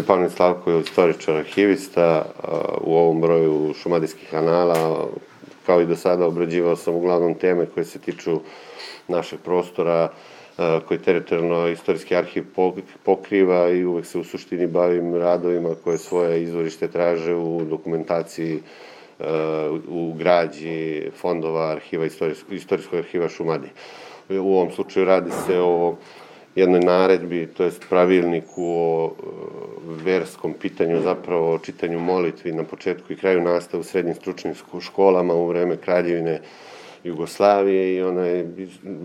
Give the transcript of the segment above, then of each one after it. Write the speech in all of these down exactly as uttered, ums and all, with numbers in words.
Stepanović Slavko je istoričar arhivista u ovom broju šumadijskih anala. Kao i do sada obrađivao sam uglavnom teme koje se tiču našeg prostora, koji teritorijalno istorijski arhiv pokriva i uvek se u suštini bavim radovima koje svoje izvorište traže u dokumentaciji, u građi fondova arhiva, istorijskog arhiva Šumadije. U ovom slučaju radi se o jednoj naredbi, to jest pravilniku o verskom pitanju, zapravo o čitanju molitvi na početku i kraju nastave u srednjim stručnim školama u vreme Kraljevine Jugoslavije i ona je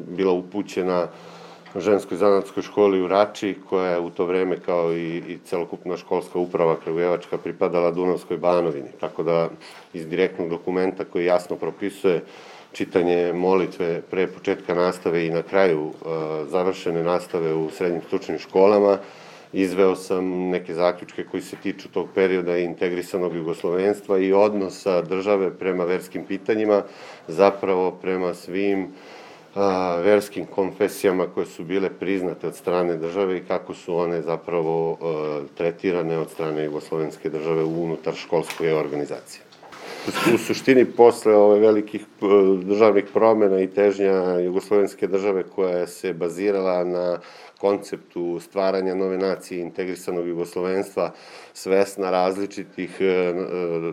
bila upućena ženskoj zanatskoj školi u Rači, koja je u to vreme, kao i, i celokupna školska uprava kragujevačka, pripadala Dunavskoj Banovini. Tako da iz direktnog dokumenta koji jasno propisuje čitanje molitve pre početka nastave i na kraju završene nastave u srednjim stručnim školama, izveo sam neke zaključke koji se tiču tog perioda integrisanog jugoslovenstva i odnosa države prema verskim pitanjima, zapravo prema svim verskim konfesijama koje su bile priznate od strane države i kako su one zapravo tretirane od strane jugoslovenske države unutar školske organizacije. U suštini, posle ove velikih državnih promena i težnja jugoslovenske države koja se bazirala na konceptu stvaranja nove nacije integrisanog jugoslovenstva, svesna različitih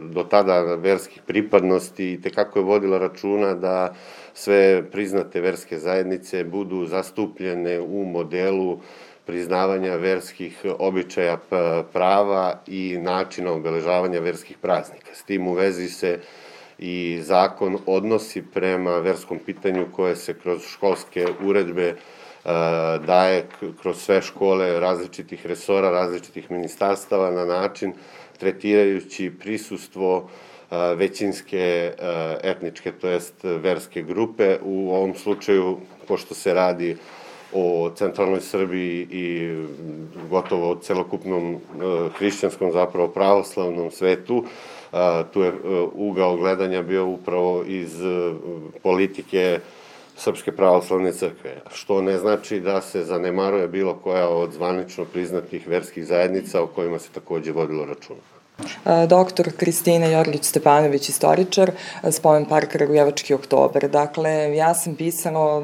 do tada verskih pripadnosti i tekako je vodila računa da sve priznate verske zajednice budu zastupljene u modelu priznavanja verskih običaja, prava i načina obeležavanja verskih praznika. S tim u vezi se i zakon odnosi prema verskom pitanju koje se kroz školske uredbe daje kroz sve škole različitih resora, različitih ministarstava na način tretirajući prisustvo većinske etničke, to jest verske grupe. U ovom slučaju, pošto se radi o centralnoj Srbiji i gotovo celokupnom hrišćanskom, zapravo pravoslavnom svetu, tu je ugao gledanja bio upravo iz politike Srpske pravoslavne crkve, što ne znači da se zanemaruje bilo koja od zvanično priznatih verskih zajednica o kojima se takođe vodilo računa. Doktor Kristina Jorgić-Stepanović, istoričar, Spomen park Kragujevački oktobar. Dakle, ja sam pisala,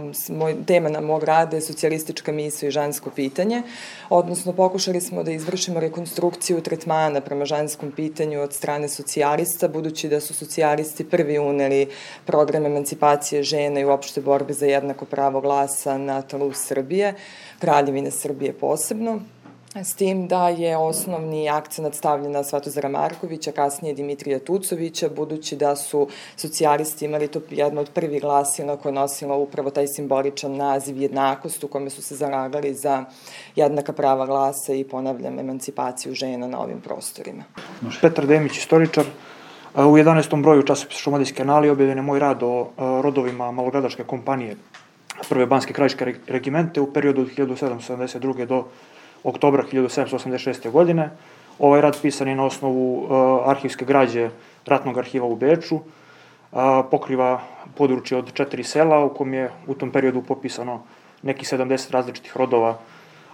tema na mog rada je socijalistička misao i žensko pitanje, odnosno pokušali smo da izvršimo rekonstrukciju tretmana prema ženskom pitanju od strane socijalista, budući da su socijalisti prvi uneli program emancipacije žena i uopšte borbe za jednako pravo glasa na tlu Srbije, Kraljevine Srbije posebno. S tim da je osnovni akcenat stavljen na Svetozara Markovića, kasnije Dimitrija Tucovića, budući da su socijalisti imali to jedno od prvih glasila koje nosila upravo taj simboličan naziv jednakost, u kome su se zalagali za jednaka prava glasa i, ponavljam, emancipaciju žena na ovim prostorima. Petar Demić, istoričar. U jedanaestom broju časopisa Šumadijske anali objavljen je moj rad o rodovima malogradačke kompanije Prve banske krajiške regimente u periodu od hiljadu sedamsto sedamdeset druge do oktobra hiljadu sedamsto osamdeset šeste. godine. Ovaj rad pisan je na osnovu arhivske građe Ratnog arhiva u Beču. Pokriva područje od četiri sela u kom je u tom periodu popisano nekih sedamdeset različitih rodova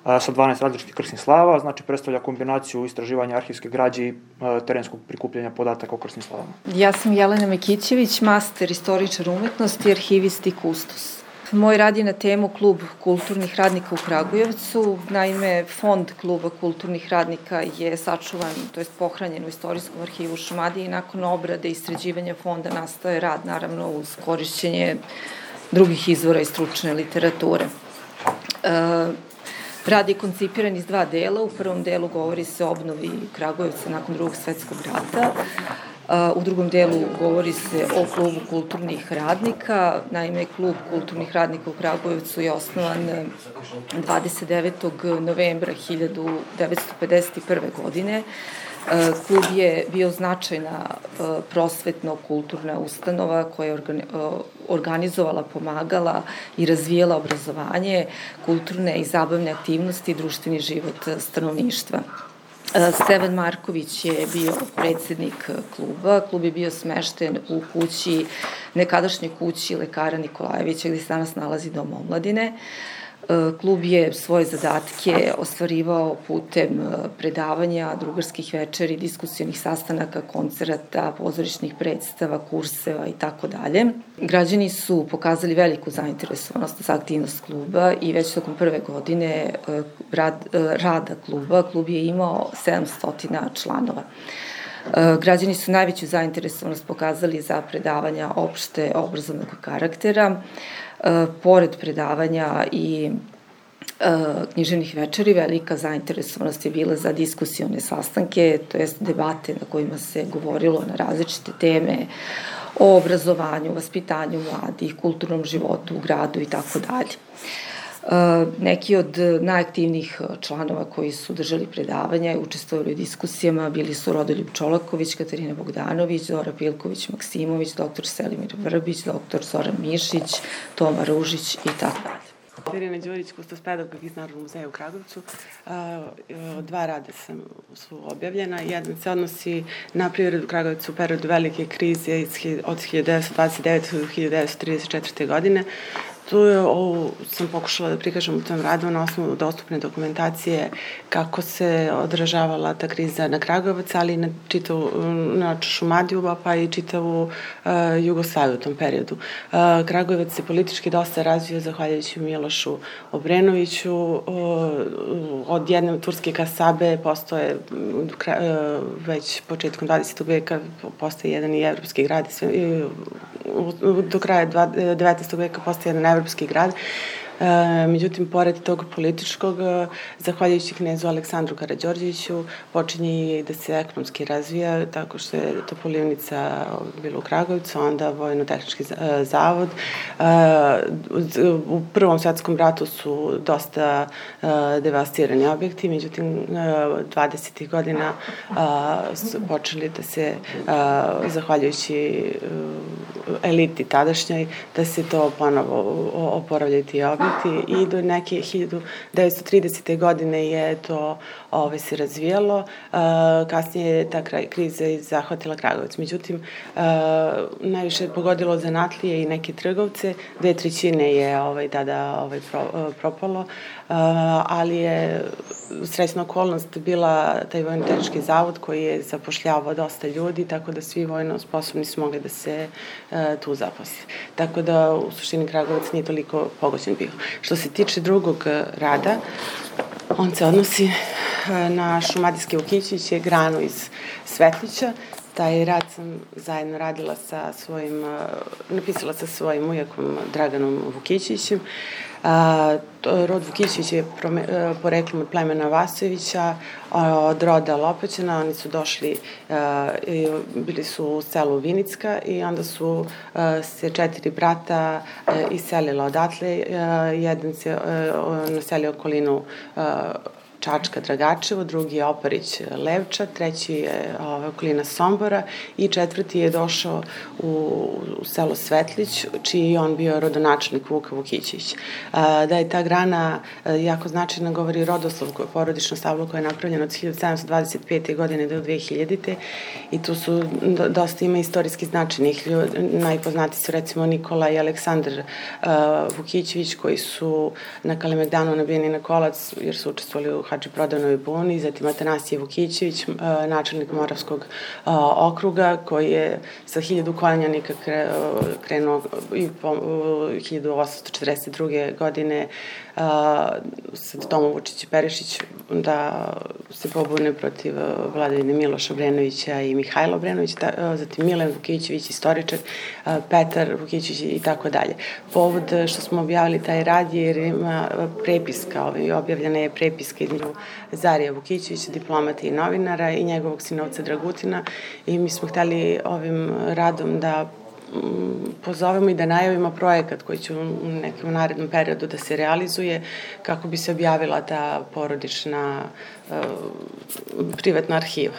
sa dvanaest različitih krsnih slava, znači predstavlja kombinaciju istraživanja arhivske građe i terenskog prikupljanja podataka o krsnim slavama. Ja sam Jelena Mekićević, master istoričar umetnosti, arhivist i kustos. Moj rad je na temu Klub kulturnih radnika u Kragujevcu. Naime, fond Kluba kulturnih radnika je sačuvan, to jest pohranjen u Istorijskom arhivu Šumadije i nakon obrade i sređivanja fonda nastaje rad, naravno, uz korišćenje drugih izvora i stručne literature. Rad je koncipiran iz dva dela. U prvom delu govori se o obnovi Kragujevca nakon Drugog svetskog rata. U drugom delu govori se o Klubu kulturnih radnika. Naime, Klub kulturnih radnika u Kragujevcu je osnovan dvadeset devetog novembra hiljadu devetsto pedeset prve. godine. Klub je bio značajna prosvetno-kulturna ustanova koja je organizovala, pomagala i razvijala obrazovanje, kulturne i zabavne aktivnosti i društveni život stanovništva. Stevan Marković je bio predsednik kluba. Klub je bio smešten u kući, nekadašnjoj kući lekara Nikolajevića, gde se danas nalazi Dom omladine. Klub je svoje zadatke ostvarivao putem predavanja, drugarskih večeri, diskusionih sastanaka, koncerata, pozorišnih predstava, kurseva i tako dalje. Građani su pokazali veliku zainteresovanost za aktivnost kluba i već tokom prve godine rad, rada kluba, klub je imao sedamsto članova. Građani su najveću zainteresovanost pokazali za predavanja opšte obrazovnog karaktera. Pored predavanja i književnih večeri, velika zainteresovanost je bila za diskusione sastanke, to jest debate na kojima se govorilo na različite teme o obrazovanju, vaspitanju mladih, kulturnom životu u gradu i tako dalje. Neki od najaktivnijih članova koji su držali predavanja i učestvovali u diskusijama bili su Rodoljub Čolaković, Katarina Bogdanović, Zora Pilković Maksimović, doktor Selimir Vrbić, doktor Zoran Mišić, Toma Ružić i tako dalje. Irina Đurić, kustospedagog iz Narodnog muzeja u Kragujevcu. Dva rada sam, su objavljena. Jedan se odnosi na privredu Kragujevcu u periodu velike krize od hiljadu devetsto dvadeset devete do hiljadu devetsto trideset četvrte. godine. Tu je, ovo sam pokušala da prikažem u tom radu na osnovu dostupne dokumentacije kako se odražavala ta kriza na Kragujevac, ali i na čitavu na Šumadiju, pa i čitavu uh, Jugoslaviju u tom periodu. Uh, Kragujevac se politički dosta razvio zahvaljujući Milošu Obrenoviću. Uh, od jedne turske kasabe postoje uh, već početkom dvadesetog veka postoje jedan i evropski grad, sve, uh, do kraja devetnaestog veka postoje jedan evropski grad. E, međutim, pored tog političkog, zahvaljujući knezu Aleksandru Karađorđeviću, počinje i da se ekonomski razvija, tako što je Topolivnica bila u Kragujevcu, onda Vojno-tehnički zavod. E, u Prvom svetskom ratu su dosta e, devastirani objekti, međutim, dvadesetih godina e, su počeli da se, e, zahvaljujući e, eliti tadašnjoj, da se to ponovo oporavljaju ti objekti i do neke hiljadu devetsto tridesete. godine je to ove, se razvijalo. Uh, kasnije je ta kraj, kriza zahvatila Kragujevac. Međutim, uh, najviše je pogodilo zanatlije i neke trgovce. Dve trećine je ovaj, tada ovaj, pro, uh, propalo, uh, ali je srećna okolnost bila taj Vojno-tehnički zavod koji je zapošljavao dosta ljudi, tako da svi vojno sposobni su mogli da se uh, tu zaposle. Tako da u suštini Kragujevac nije toliko pogođen bio. Što se tiče drugog rada, on se odnosi na šumadijske Vukićeviće, granu iz Svetlića. Taj rad sam zajedno radila sa svojim, napisala sa svojim ujakom Draganom Vukićevićem. Rod Vukićević je poreklom od plemena Vasojevića, od roda Lopaćana. Oni su došli, bili su u selu Vinicka i onda su se četiri brata iselila odatle. Jedan se naselio okolinu Čačka, Dragačevo, drugi je Oparić, Levča, treći je ove, okolina Sombora i četvrti je došao u, u selo Svetlić, čiji je on bio rodonačelnik Vuka Vukićević. Da je ta grana jako značajna, govori rodoslov, porodično stablo koje je napravljeno od hiljadu sedamsto dvadeset pete. godine do dve hiljadite. i tu su dosta ima istorijski značajnih ljudi. Najpoznati su recimo Nikola i Aleksandar uh, Vukićević, koji su na Kalemegdanu nabijeni na kolac jer su učestvovali u Hadži Prodanovoj buni, zatim Atanasije Vukićević, načelnik Moravskog okruga, koji je sa hiljadu koljanika krenuo i po hiljadu osamsto četrdeset druge. godine sa Tomom Vučić i Perišić da se pobune protiv vladavine Miloša Obrenovića i Mihajla Obrenovića, zatim Milan Vukićević, istoričar, Petar Vukićević i tako dalje. Povod što smo objavili taj rad je jer ima prepiska, objavljena je prepiska između Zarija Vukićevića, diplomata i novinara, i njegovog sinovca Dragutina, i mi smo hteli ovim radom da pozovemo i da najavimo projekat koji će u nekom narednom periodu da se realizuje kako bi se objavila ta porodična uh, privatna arhiva.